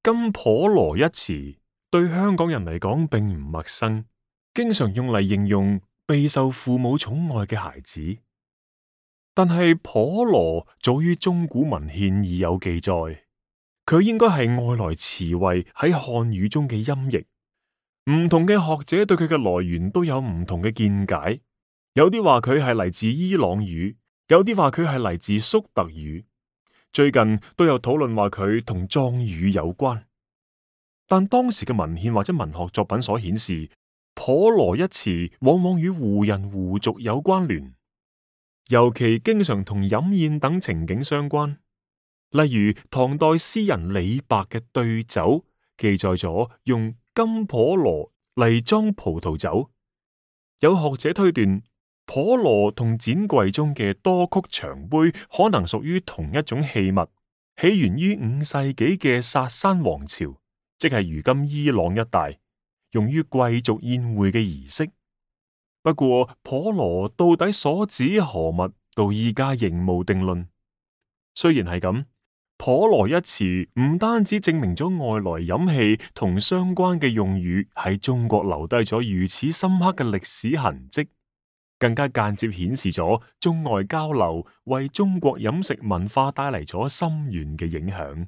金婆羅一詞對香港人嚟講並唔陌生，經常用嚟形容備受父母寵愛嘅孩子。但係婆羅早於中古文獻已有記載，佢應該係外來詞彙喺漢語中嘅音譯。唔同嘅學者對佢嘅來源都有唔同嘅見解，有啲話佢係嚟自伊朗語，有啲話佢係嚟自粟特語。最近都有討論話佢同藏語有關，但當時嘅文獻或者文學作品所顯示，婆羅一詞往往與胡人胡族有關聯，尤其經常同飲宴等情景相關。例如唐代詩人李白嘅對酒記載咗用金婆羅嚟裝葡萄酒，有學者推斷，婆羅同展櫃中嘅多曲長杯可能屬於同一種器物，起源於5世紀嘅薩珊王朝，即係如今伊朗一帶，用於貴族宴會嘅儀式。不過婆羅到底所指何物，到依家仍無定論。雖然係咁，婆羅一詞唔單止證明咗外來飲器同相關嘅用語喺中國留低咗如此深刻嘅歷史痕跡，更加間接顯示咗中外交流為中國飲食文化帶嚟咗深遠嘅影響。